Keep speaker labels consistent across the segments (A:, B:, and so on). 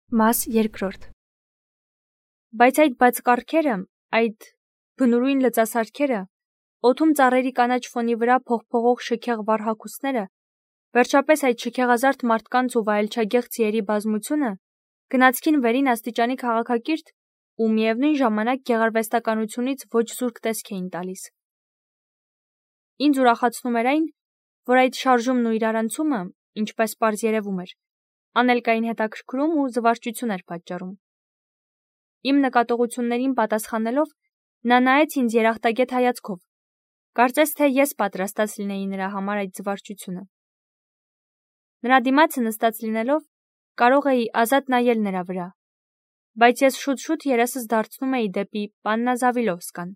A: Մաս երկրորդ։ Բայց այդ բացկարգերը, այդ բնուրույն լծասարքերը, օդում ծառերի կանաչ ֆոնի վրա փողփողող շքեղ վառ հագուստները, վերջապես այդ շքեղազարդ մարդկանց ու վայելչագեղ ձիերի բազմությունը գնացքին վերին աստիճանի քաղաքակիրթ ու միևնույն ժամանակ գեղարվեստականությունից ոչ զուրկ տեսք էին տալիս։ Ինձ ուրախացնում էր այն, որ այդ շարժումն ու իրարանցումը, ինչպես պարզ երևում էր, անելկային հետաքրքրում ու զվարճություն էր պատճառում։ Իմ նկատողություններին պատասխանելով, նա նայեց ինձ երախտագետ հայացքով, կարծես թե ես պատրաստած լինեի նրա համար այդ զվարճությունը։ Նրա դիմացը նստած լինելով, կարող էի ազատ նայել նրա վրա, բայց ես շուտ-շուտ երեսս դարձնում էի դեպի Պաննա Զավիլովսկան,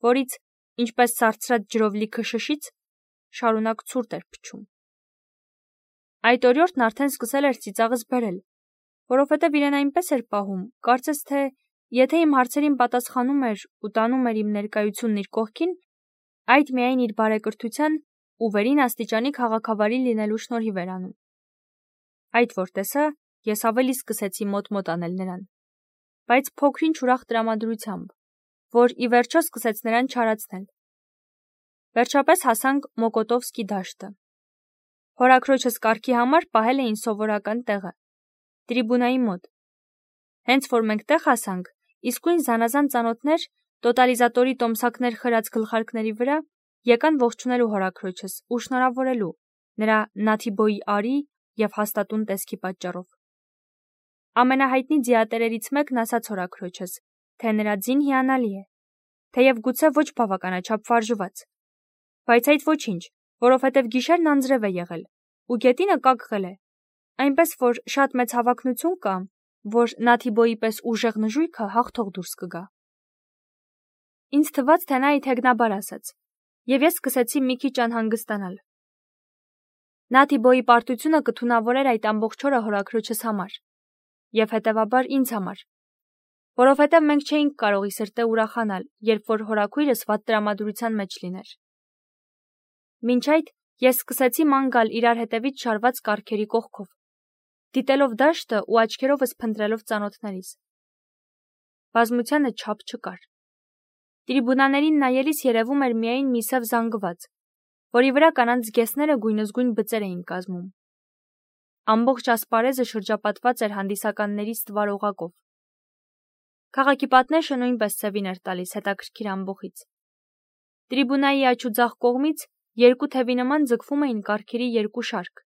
A: որից, ինչպես սառցրած ջրով լիքը շշից, շարունակ ցուրտ էր փչում։ Այդ օրիորդն արդեն սկսել էր ծիծաղս բերել, որովհետև իրեն այնպես էր պահում, կարծես թե, եթե իմ հարցերին պատասխանում էր ու տանում էր իմ ներկայությունն իր կողքին, այդ միայն իր բարեկրթության ու վերին աստիճանի քաղաքավարի լինելու շնորհիվ էր անում։ Այդ որ տեսա, ես ավելի սկսեցի մոտ-մոտ անել նրան, բայց փոքրինչ ուրախ տրամադրությամբ, որ ի վերջո սկսեց նրան չարացնել։ Վերջապես հասանք Մոկոտովսկի դաշտը։ Հորաքրոջս կարգի համար պահել էին սովորական տեղը, տրիբունայի մոտ։ Հենց որ մենք տեղ հասանք, իսկույն զանազան ծանոթներ, տոտալիզատորի տոմսակներ խրած գլխարկների վրա, եկան ողջունելու հորաքրոջս ու շնորհավորելու նրա Նաթիբոյի արի և հաստատուն տեսքի պատճառով։ Ամենահայտնի ձիատերերից մեկն ասաց հորաքրոջս, թե նրա ձին հիանալի է, թեև գուցե ոչ բավականաչափ վարժված, բայց այդ ոչինչ, որովհետև գիշերն անձրև է եղել, ու գետինը կակղել է, այնպես որ շատ մեծ հավակնություն կա, որ Նաթիբոյի պես ուժեղ նժույգը հաղթող դուրս կգա։ Ինձ թվաց, թե նա իթեգնաբար ասաց, և ես սկսեցի մի քիչ անհանգստանալ։ Նաթիբոյի պարտությունը կթունավորեր այդ ամբողջ օրը հորաքրոջս համար, և հետևաբար ինձ համար, որովհետև մենք չէինք կարող ի սրտե ուրախանալ, երբ որ հորաքույրս վատ տրամադրության մեջ լիներ։ Մինչ այդ ես սկսեցի ման գալ իրար հետևից շարված կառքերի կողքով, դիտելով դաշտը ու աչքերովս փնտրելով ծանոթներիս։ Բազմությանը չափ չկար։ Տրիբունաներին նայելիս երևում էր միայն մի սև զանգված, որի վրա կանանց զգեստները գույնզգույն բծեր էին կազմում։ Ամբողջ ասպարեզը շրջապատված էր հանդիսականների ստվար օղակով։ Քաղաքի պատնեշը նույնպես սևին էր տալիս հետաքրքիր ամբոխից։ Տրիբունայի աջ ու ձախ կողմից երկու թևի նման ձգվում էին կառքերի երկու շարք,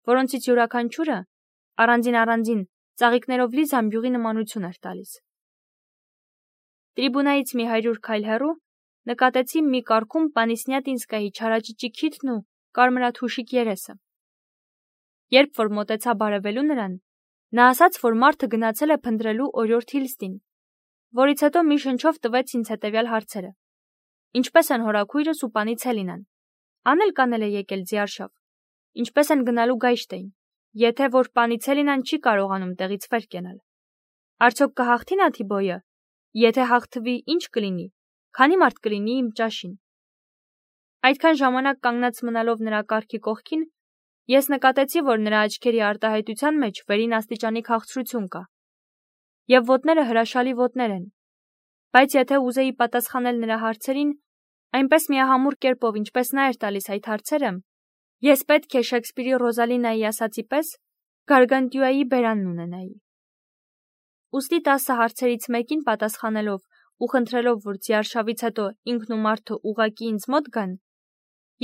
A: որոնցից յուրաքանչյուրը առանձին ծաղիկներով լի զամբյուղի նմանություն էր տալիս։ Տրիբունայից մի 100 քայլ հեռու նկատեցի մի կառքում Պանիսնյատինսկայի չարաճճի քիթն ու կարմրաթուշիկ երեսը։ Երբ որ մոտեցա բարևելու նրան, նա ասաց, որ մարդը գնացել է փնտրելու օրիորդ Հիլստին, որից հետո մի շնչով տվեց ինձ հետևյալ հարցերը. ինչպես են հորաքույրս ու պանի Ցելինան, անել է եկել ձիարշավ, ինչպես են գնալու Գայշտեին, եթե որ պանի Ցելինան չի կարողանում տեղից վեր կենալ, արդյոք կհաղթի Նաթիբոյը, եթե հաղթվի, ինչ կլինի, քանի մարդ կլինի իմ ճաշին։ Այդքան ժամանակ կանգնած մնալով նրա կառքի կողքին, ես նկատեցի, որ նրա աչքերի արտահայտության մեջ վերին աստիճանի քաղցրություն կա, և ոտները հրաշալի ոտներ են, բայց եթե ուզեի պատասխանել նրա հարցերին, այնպես միահամուռ կերպով, ինչպես նա էր տալիս այդ հարցերը, ես պետք է Շեքսպիրի Ռոզալինայի ասածի պես Գարգանտյուայի բերանն ունենայի։ Ուստի 10 հարցերից մեկին պատասխանելով ու խնդրելով, որ ձիարշավից հետո ինքն ու մարդը ուղղակի ինձ մոտ գան,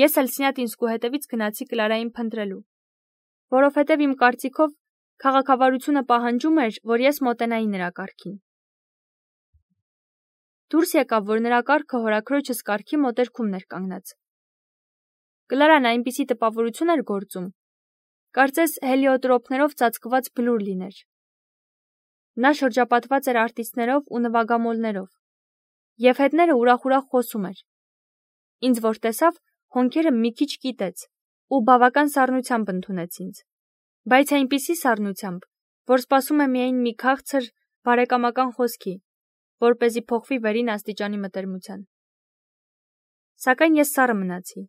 A: ես էլ Սնյատինսկու հետևից գնացի Կլարային փնտրելու, որովհետև իմ կարծիքով քաղաքավարությունը պահանջում էր, որ ես մոտենայի նրա կառքին։ Դուրս եկավ, որ նրա կառքը հորաքրոջս կառքի մոտերքումն էր կանգնած։ Կլարան այնպիսի տպավորություն էր գործում, կարծես հելիոտրոպներով ծածկված բլուր լիներ։ Նա շրջապատված էր արտիստներով ու նվագամոլներով, և հետները ուրախ-ուրախ խոսում էր։ Ինձ որ տեսավ, հոնքերը մի քիչ կիտեց ու բավական սառնությամբ ընդունեց ինձ, բայց այնպիսի սառնությամբ, որ սպասում է միայն մի քաղցր, բարեկամական խոսքի, որպեսզի փոխվի վերին աստիճանի մտերմության։ Սակայն ես սառը մնացի,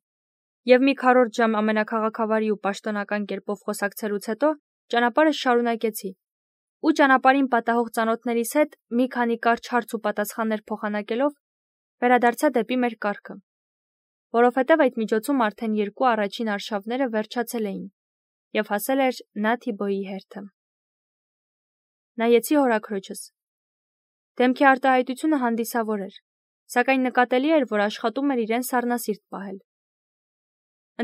A: և մի քառորդ ժամ ամենաքաղաքավարի ու պաշտոնական կերպով խոսակցելուց հետո ճանապարհս շարունակեցի ու ճանապարհին պատահող ծանոթներիս հետ մի քանի կարճ հարց ու պատասխաններ փոխանակելով վերադարձա դեպի մեր կառքը, որովհետև այդ միջոցում արդեն 2 առաջին արշավները վերջացել էին և հասել էր Նաթիբոյի հերթը։ Նայեցի հորաքրոջս։ Դեմքի արտահայտությունը հանդիսավոր էր, սակայն նկատելի էր, որ աշխատում էր իրեն սառնասիրտ պահել։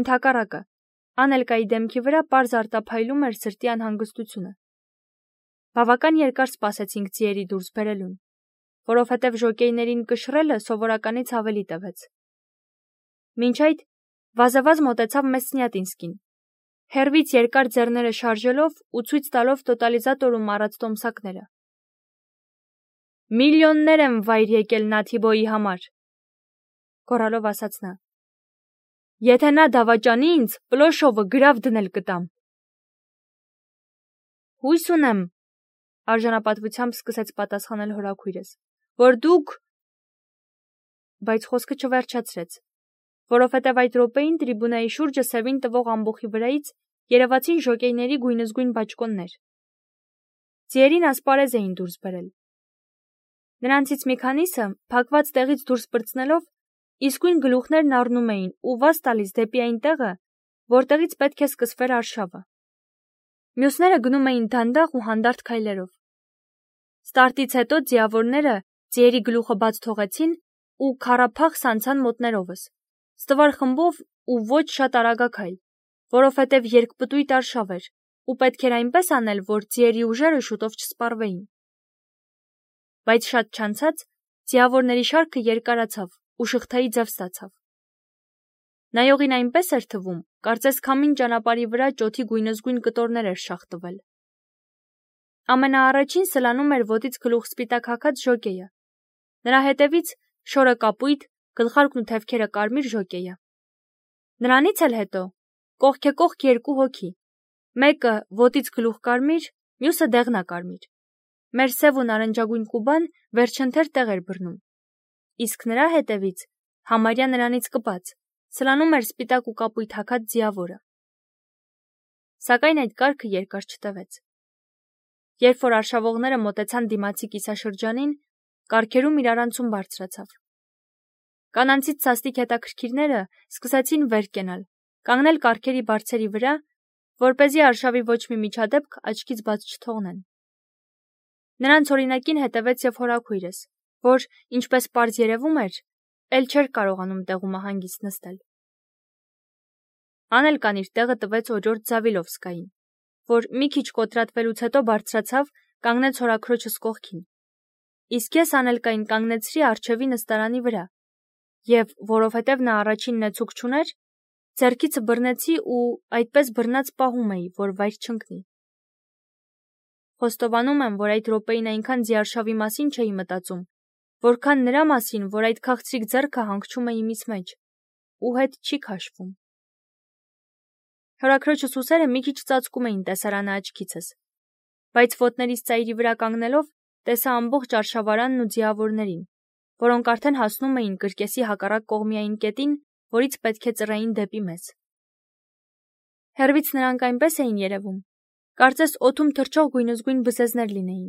A: Ընդհակառակը, Անելկայի դեմքի վրա պարզ արտափայլում էր սրտի անհանգստությունը։ Բավական երկար սպասեցինք ձիերի դուրս բերելուն, որովհետև ժոկեյներին կշռելը սովորականից ավելի տևեց։ Մինչ այդ վազավազ մոտեցավ Մեսնյատինսկին, հեռվից երկար ձեռները շարժելով ու ցույց տալով տոտալիզատորում առած տոմսակները։ «Միլիոններ եմ վայր եկել Նաթիբոյի համար», գոռալով ասաց նա։ «Եթե նա դավաճանի ինձ, Պլոշովը գրավ դնել կտամ»։ «Հույս ունեմ», արժանապատվությամբ սկսեց պատասխանել հորաքույրս, «որ դուք…» Բայց խոսքը չվերջացրեց, որովհետև այդ րոպեին տրիբունայի շուրջը սևին տվող ամբոխի վրայից երևացին ժոկեյների գույնզգույն բաճկոններ։ Ձիերին ասպարեզ էին դուրս բերել։ Նրանցից մի քանիսը, փակված տեղից դուրս պրծնելով, իսկույն գլուխներն առնում էին ու վազ տալիս դեպի այն տեղը, որտեղից պետք է սկսվեր արշավը։ Մյուսները գնում էին դանդաղ ու հանդարտ քայլերով։ Ստարտից հետո ձիավորները ձիերի գլուխը բաց թողեցին ու քառափախ սանցան մոտներովս, ստվար խմբով ու ոչ շատ արագաքայլ, որովհետև երկպտույտ արշավ էր ու պետք էր այնպես անել, որ ձիերի ուժերը շուտով չսպառվեին։ Բայց շատ չանցած ձիավորների շարքը երկարացավ ու շղթայի ձև ստացավ։ Նայողին այնպես էր թվում, կարծես քամին ճանապարհի վրա ճոթի գույնզգույն կտորներ էր շաղ տվել։ Ամենաառաջին սլանում էր ոտից գլուխ սպիտակ հագած ժոկեյը, նրա հետևից շորը կապույտ, գլխարկն ու թևքերը կարմիր ժոկեյը։ Նրանից էլ հետո կողքեկողք 2 հոգի, մեկը ոտից գլուխ կարմիր, մյուսը դեղնակարմիր։ Մեր սև ու նարնջագույն Կուբան վերջընթեր տեղ էր բռնում, իսկ նրա հետևից, համարյա նրանից կպած, սլանում էր սպիտակ ու կապույտ հագած ձիավորը։ Սակայն այդ կարգը երկար չտևեց։ Երբ որ արշավողները մոտեցան դիմացի կիսաշրջանին, կառքերում իրարանցում բարձրացավ։ Կանանցից սաստիկ հետաքրքիրները սկսեցին վեր կենալ, կանգնել կառքերի բարձերի վրա, որպեսզի արշավի ոչ մի միջադեպք աչքից բաց չթողնեն։ Նրանց օրինակին հետևեց և հորաքույրս, որ, ինչպես պարզ երևում էր, էլ չէր կարողանում տեղումը հանգիստ նստել։ Անելկան իր տեղը տվեց օրիորդ Զավիլովսկային, որ մի քիչ կոտրատվելուց հետո բարձրացավ, կանգնեց հորաքրոջս կողքին, իսկ ես Անելկային կանգնեցրի առջևի նստարանի վրա և, որովհետև նա առաջինն է ցուկ չուներ, ձեռքիցը բռնեցի ու այդպես բռնած պահում էի, որ վայր չընկնի։ Խոստովանում եմ, որ այդ րոպեին այնքան ձիարշավի մասին չէի մտածում, որքան նրա մասին, որ այդ քաղցրիկ ձեռքը հանգչում է իմիս մեջ ու հետ չի քաշվում։ Հորաքրոջս ուսերը մի քիչ ծածկում էին տեսարանը աչքիցս, բայց ոտներիս ծայրի վրա կանգնելով տեսա ամբողջ արշավարանն ու ձիավորներին, որոնք արդեն հասնում էին կրկեսի հակառակ կողմի այն կետին, որից պետք է ծռեին դեպի մեզ։ Հեռվից նրանք այնպես էին երևում, կարծես օդում թռչող գույնզգույն բզեզներ լինեին։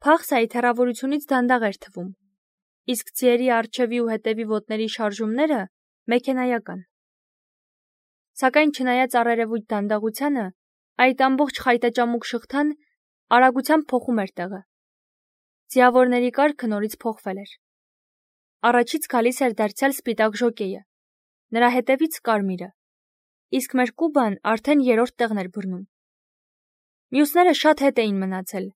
A: Փախսը այդ հեռավորությունից դանդաղ էր թվում, իսկ ձիերի առջևի ու հետևի ոտների շարժումները մեքենայական։ Սակայն չնայած առերևույթ դանդաղությանը, այդ ամբողջ խայտաճամուկ շղթան արագությամբ փոխում էր տեղը։ Ձիավորների կարգը նորից փոխվել էր։ Առաջից գալիս էր դարձյալ սպիտակ ժոկեյը, նրա հետևից կարմիրը, իսկ մեր Կուբան արդեն 3-րդ տեղն էր բռնում։ Մյուսները շատ հետ էին մնացել,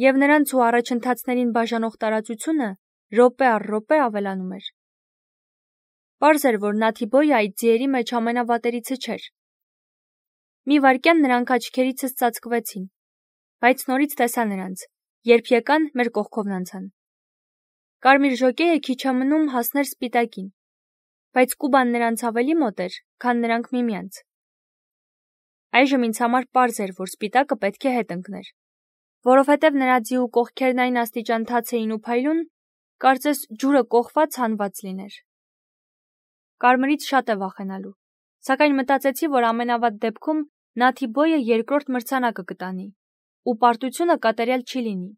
A: և նրանց ու առաջընթացներին բաժանող տարածությունը րոպե առ րոպե ավելանում էր։ Պարզ էր, որ Նաթիբոյը այդ ձիերի մեջ ամենավատերիցը չէր։ Մի վայրկյան նրանք աչքերիցս ծածկվեցին, բայց նորից տեսա նրանց, երբ եկան մեր կողքովն անցան։ Կարմիր ժոկեյը քիչ է մնում հասներ սպիտակին, բայց Կուբան նրանց ավելի մոտ էր, քան նրանք միմյանց։ Այժմ ինձ համար պարզ էր, որ սպիտակը պետք է հետ ընկներ, որովհետև նրա ձիու կողքերն այն աստիճան թաց էին ու փայլուն, կարծես ջուրը կոխված հանված լիներ։ Կարմիրից շատ է վախենալու, սակայն մտածեցի, որ ամենավատ դեպքում Նաթիբոյը երկրորդ մրցանակը կտանի, ու պարտությունը կատարյալ չի լինի։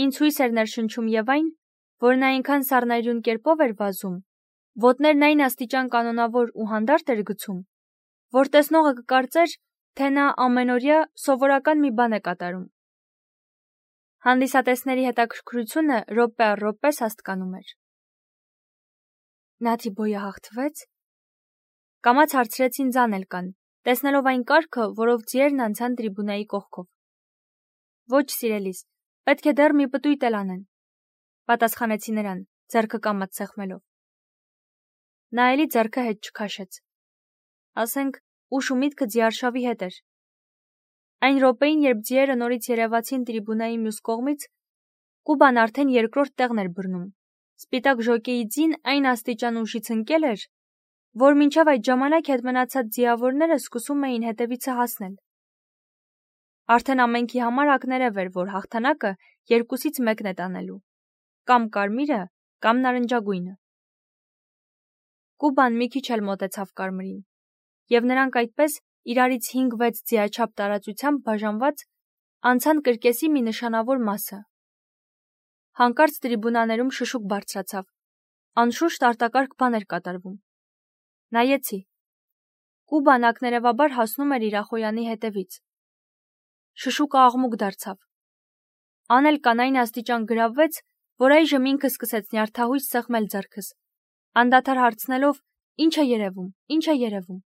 A: Ինձ հույս էր ներշնչում եւ այն, որ նա այնքան սառնայուն կերպով էր վազում, ոտներն այն աստիճան կանոնավոր ու հանդարտ էր գցում, որ տեսնողը կկարծեր, թե նա ամենօրյա սովորական մի բան է կատարում։ Հանդիսատեսների հետաքրքրությունը րոպե առ րոպե սաստկանում էր։ Նաթիբոյը հաղթվեց։ Կամաց հարցրեցին Ձանելկան, տեսնելով այն կարգը, որով ձիերն անցան տրիբունայի կողքով։ Ոչ, սիրելիս, պետք է դեռ մի պտույտ էլ անեն, պատասխանեցի նրան, ձեռքը կամաց սեղմելով։ Նա էլի ձեռքը հետ չքաշեց։ Ասենք, ուշ ու միտքը ձիարշավի հետ էր։ Այն րոպեին, երբ ձիերը նորից երևացին տրիբունայի մյուս կողմից, Կուբան արդեն երկրորդ տեղն էր բռնում։ Սպիտակ ժոկեի ձին այն աստիճան ուշից ընկել էր, որ մինչև այդ ժամանակ հետ մնացած ձիավորները սկսում էին հետևիցը հասնել։ Արդեն ամենքի համար ակներև էր, որ հաղթանակը երկուսից մեկն է տանելու, կամ կարմիրը, կամ նարնջագույնը։ Կուբան մի քիչ էլ մոտեցավ կարմիրին, եւ նրանք այդպես իրարից 5-6 ձիաչափ տարածությամբ բաժանված անցան կրկեսի մի նշանավոր մասը։ Հանկարծ տրիբունաներում շշուկ բարձրացավ, անշուշտ արտակարգ բան էր կատարվում։ Նայեցի։ Կուբան ակներևաբար հասնում էր Իրախոյանի հետևից։ Շշուկը աղմուկ դարձավ։ Անել կանային աստիճան գրավվեց, որ այժմ ինքը սկսեց նյարդահույս սեղմել ձեռքս, անդադար հարցնելով. «Ինչ է երևում, ինչ է երևում»։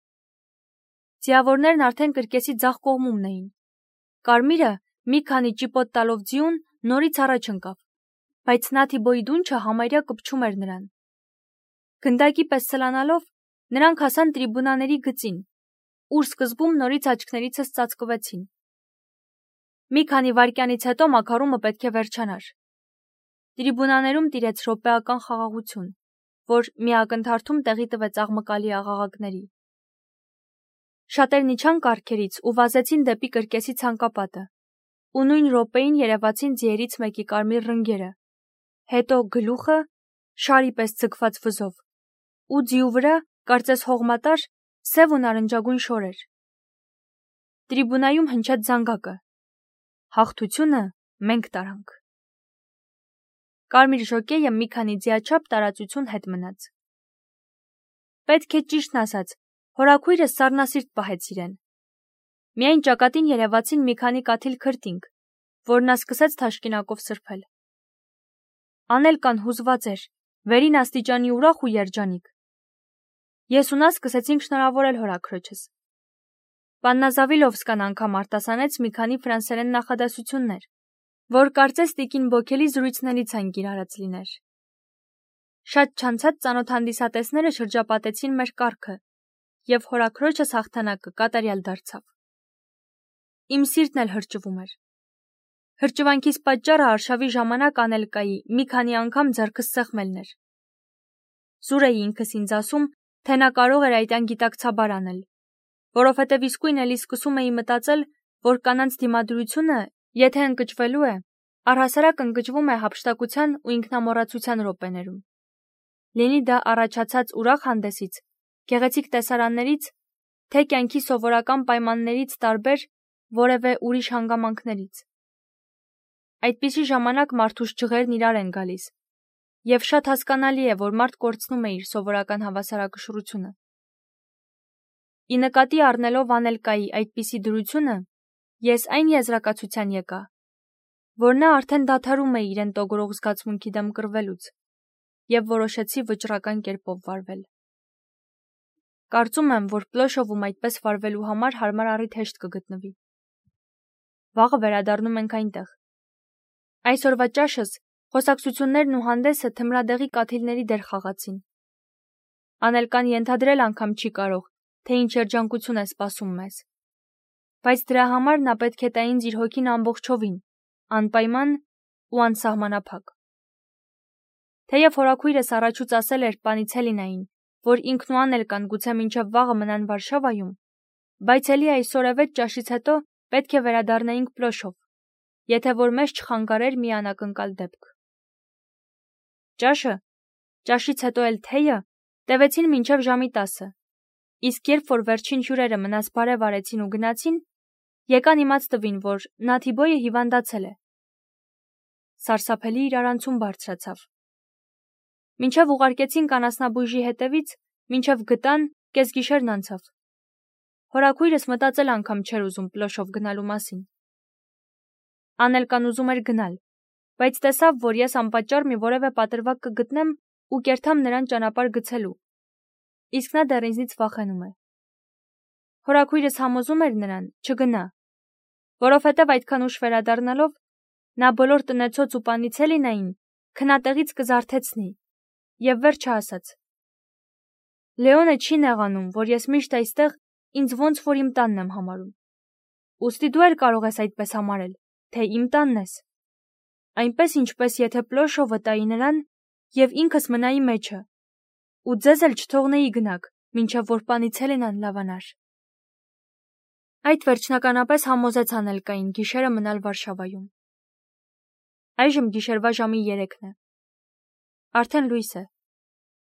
A: Ձիավորներն արդեն կրկեսի ձախ կողմումն էին։ Կարմիրը, մի քանի ճիպոտ տալով ձիուն, նորից առաջ ընկավ, բայց Նաթիբոյի դունչը համարյա կպչում էր նրան։ Գնդակի պես սլանալով, նրանք հասան տրիբունաների գծին, ուր սկզբում նորից աչքներիցս ծածկվեցին։ Մի քանի վայրկյանից հետո մաքարումը պետք է վերջանար։ Տրիբունաներում տիրեց րոպեական խաղաղություն, որ մի ակնթարթում տեղի տվեց աղմկալի աղաղակների։ Շատերն իջան կառքերից ու վազեցին դեպի կրկեսի ցանկապատը, ու նույն րոպեին երևացին ձիերից մեկի կարմիր ռնգերը, հետո գլուխը, շարի պես ձգված վզով, ու ձիու վրա, կարծես հողմատար, սև ու նարնջագույն շորեր։ Տրիբունայում հնչեց զանգակը։ Հաղթությունը մենք տարանք։ Կարմիր ժոկեյը մի քանի ձիաչափ տարածություն հետ մնաց։ Պետք է ճիշտն ասած, հորաքույրս սառնասիրտ պահեց իրեն։ Միայն ճակատին երևացին մի քանի կաթիլ քրտինք, որ նա սկսեց թաշկինակով սրբել։ Անելկան հուզված էր, վերին աստիճանի ուրախ ու երջանիկ։ Ես ու նա սկսեցինք շնորհավորել հորաքրոջս։ Պաննա Զավիլովսկան անգամ արտասանեց մի քանի ֆրանսերեն նախադասություններ, որ կարծես տիկին Բոքելի զրույցներից այն կիրառած լիներ։ Շատ չանցած ծանոթ հանդիսատեսները շրջապատեցին մեր կառքը, եւ հորաքրոջս հաղթանակը կատարյալ դարձավ։ Իմ սիրտն էլ հրճվում էր։ Հրճվանքիս պատճառը արշավի ժամանակ Անելկայի մի քանի անգամ ձեռքս սեղմելն էր։ Զուր էի ինքս ինձ ասում, թե նա կարող էր այդ անգիտակցաբար անել, որովհետև իսկույն էլի սկսում էի մտածել, որ կանանց դիմադրությունը, եթե ընկճվելու է, առհասարակ ընկճվում է հափշտակության ու ինքնամոռացության րոպեներում։ Լինի դա առաջացած ուրախ հանդեսից, գեղեցիկ տեսարաններից, թե կյանքի սովորական պայմաններից տարբեր որևէ ուրիշ հանգամանքներից։ Այդպիսի ժամանակ մարդուս ջղերն իրար են գալիս, եւ շատ հասկանալի է, որ մարդ կորցնում է իր սովորական հավասարակշռությունը։ Ի նկատի առնելով Անելկայի այդպիսի դրությունը, ես այն եզրակացության եկա, որ նա արդեն դադարում է իրեն տոգորող զգացմունքի դեմ կռվելուց, եւ որոշեցի վճռական կերպով վարվել։ Կարծում եմ, որ Պլոշովում այդպես վարվելու համար հարմար առիթ հեշտ կգտնվի։ Վաղը վերադառնում ենք այնտեղ։ Այսօրվա ճաշս, խոսակցություններն ու հանդեսը թմրադեղի կաթիլների դեր խաղացին։ Անելկան ենթադրել անգամ չի կարող, թե ինչ երջանկություն է սպասում մեզ։ Բայց դրա համար նա պետք է տա ինձ իր հոգին ամբողջովին, անպայման ու անսահմանափակ։ Թեև հորաքույրս առաջուց ասել էր պանից Հելինային, որ ինքն ու Անելկան գուցե մինչև վաղը մնան Վարշավայում, բայց էլի այսօր ավետ ճաշից հետո պետք է վերադառնայինք Պլոշով, եթե որ մեզ չխանգարեր մի անակնկալ դեպք։ Ճաշից հետո էլ թեյը տևեցին մինչև ժամի 10-ը, Իսկ երբ որ վերջին հյուրերը մնաց բարև արեցին ու գնացին, եկան իմաց տվին, որ Նաթիբոյը հիվանդացել է։ Սարսափելի իրարանցում բարձրացավ։ Մինչև ուղարկեցին կանասնաբույժի հետևից, մինչև գտան, կեսգիշերն անցավ։ Հորաքույրս մտածել անգամ չէր ուզում Պլոշով գնալու մասին։ Անելկան ուզում էր գնալ, բայց տեսավ, որ ես անպատճառ մի որևէ պատրվակ կգտնեմ ու կերթամ նրան ճանապարհ գցելու, իսկ նա դեռ ինձնից վախենում է։ Հորաքույրս համոզում էր նրան չգնա, որովհետև այդքան ուշ վերադառնալով նա բոլոր տնեցոց ու պանիցելինային քնատեղից կզարթեցնի, եւ վերջը ասաց. Լեոնը չի նեղանում, որ ես միշտ այստեղ ինձ ոնց որ իմ տանն եմ համարում։ Ուստի դու էլ կարող ես այդպես համարել, թե իմ տանն ես։ Այնպես ինչպես եթե Պլոշովը տայի նրան եւ ինքս մնայի մեջը, ու ձեզ էլ չթողնեի գնաք, մինչև որ պանիցելինան լավանար։ Այդ վերջնականապես համոզեց Անելկային գիշերը մնալ Վարշավայում։ Այժմ գիշերվա ժամի 3-ն է։ Արդեն լույս է,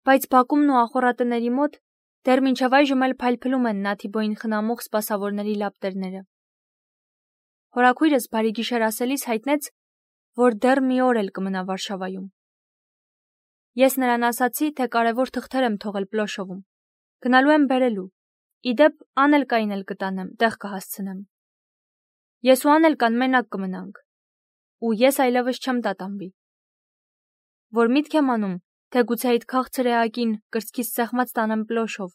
A: բայց բակումն ու ախոռատների մոտ դեռ մինչև այժմ էլ փայլփլում են Նաթիբոյին խնամող սպասավորների լապտերները։ Հորաքույրս բարի գիշեր ասելիս հայտնեց, որ դեռ մի օր էլ կմնա Վարշավայում։ Ես նրան ասացի, թե կարևոր թղթեր եմ թողել Պլոշովում։ Գնալու եմ բերելու։ Իդեպ Անելկային էլ կտանեմ, տեղ կհասցնեմ։ Ես ու Անելկան մենակ կմնանք, ու ես այլևս չեմ տատանվի։ Որ միտք եմ անում, թե գուցե այդ քաղցր էակին կրծքից սեղմած տանեմ Պլոշով,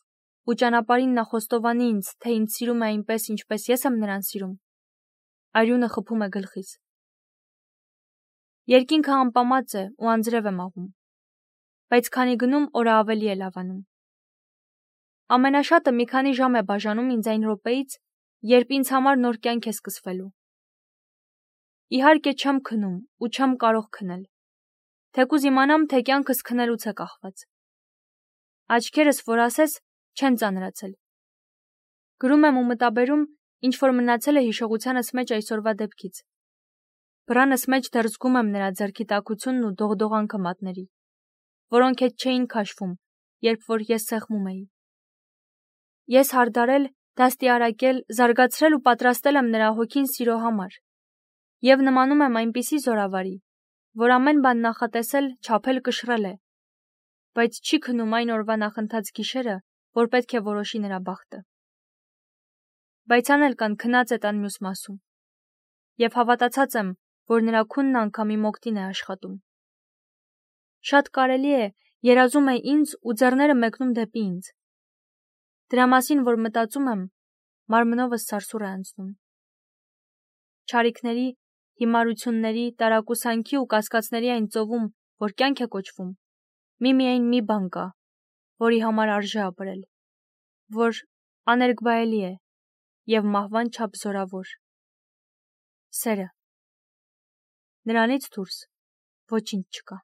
A: ու ճանապարհին նա խոստովանի ինձ, թե ինձ սիրում է այնպես, ինչպես ես եմ նրան սիրում։ Արյունը խփում է գլխիս։ Երկինքը անպամած է ու անձրև է մաղում, բայց քանի գնում օրը ավելի է լավանում։ Ամենաշատը մի քանի ժամ է բաժանում ինձ այն րոպեից, երբ ինձ համար նոր կյանք է սկսվելու։ Իհարկե չեմ քնում ու չեմ կարող քնել, թեկուզ իմանամ, թե կյանքս քնելուց է կախված։ Աչքերս, որ ասես, չեն ծանրացել։ Գրում եմ ու մտաբերում, ինչ որ մնացել է հիշողությանս մեջ այսօրվա դեպքից։ Բրանս մեջ դեռ զգում եմ նրա ձեռքի տաքությունն ու դողդողանքը մատների, որոնք հետ չէին քաշվում, երբ որ ես սեղմում էի։ Ես հարդարել, դաստիարակել, զարգացրել ու պատրաստել եմ նրա հոգին սիրո համար, եւ նմանում եմ այնպիսի զորավարի, որ ամեն բան նախատեսել, չափել կշռել է, բայց չի քնում այն օրվա նախընթաց գիշերը, որ պետք է որոշի նրա բախտը։ Բայց Անելկան քնած է տան մյուս մասում, եւ հավատացած եմ, որ նրա քունն անգամ իմ օգտին է աշխատում։ Շատ կարելի է, երազում է ինձ ու ձեռները մեկնում դեպի ինձ։ Դրա մասին, որ մտածում եմ, մարմնովս սարսուռ է անցնում։ Չարիքների, հիմարությունների, տարակուսանքի ու կասկածների այն ծովում, որ կյանք է կոչվում, միմիայն մի բան կա, որի համար արժե ապրել, որ աներկբայելի է եւ մահվան չափ զորավոր։ Սերը։ Նրանից դուրս ոչինչ չկա։